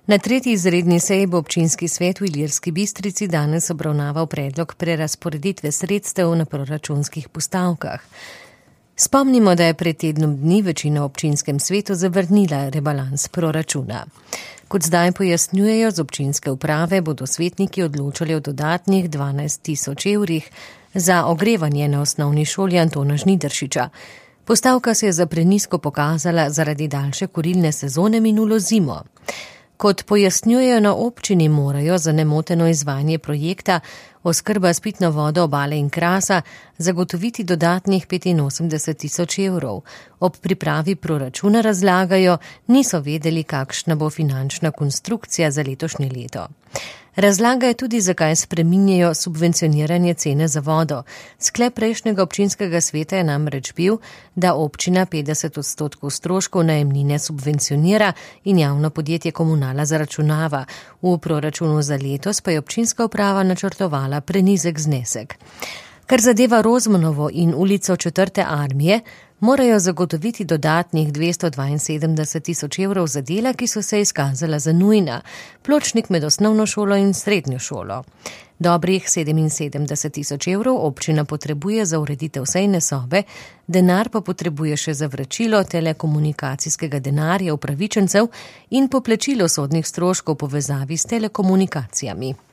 Na 3. izredni seji bo občinski svet v Ilirski Bistrici danes obravnaval predlog prerazporeditve sredstev na proračunskih postavkah. Spomnimo, da je pred tednom dni večina v občinskem svetu zavrnila rebalans proračuna. Kot zdaj pojasnjujejo z občinske uprave, bodo svetniki odločali o dodatnih 12 000 evrih za ogrevanje na osnovni šoli Antona Žnidaršiča. Postavka se je za prenizko pokazala zaradi daljše kurilne sezone minulo zimo. Kot pojasnjujejo na občini, morajo za nemoteno izvajanje projekta oskrba s pitno vodo Obale in Krasa zagotoviti dodatnih 85 000 evrov. Ob pripravi proračuna razlagajo, niso vedeli, kakšna bo finančna konstrukcija za letošnje leto. Razlagajo tudi, zakaj spreminjajo subvencioniranje cene za vodo. Sklep prejšnjega občinskega sveta je namreč bil, da občina 50% stroškov najemnine subvencionira in javno podjetje Komunala zaračunava. V proračunu za letos pa je občinska uprava načrtovala prenizek znesek. Kar zadeva Rozmanovo in ulico 4. armije, morajo zagotoviti dodatnih 272 000 evrov za dela, ki so se izkazala za nujna, pločnik med osnovno šolo in srednjo šolo. Dobrih 77 000 evrov občina potrebuje za ureditev sejne sobe, denar pa potrebuje še za vračilo telekomunikacijskega denarja upravičencev in poplačilo sodnih stroškov v povezavi s telekomunikacijami.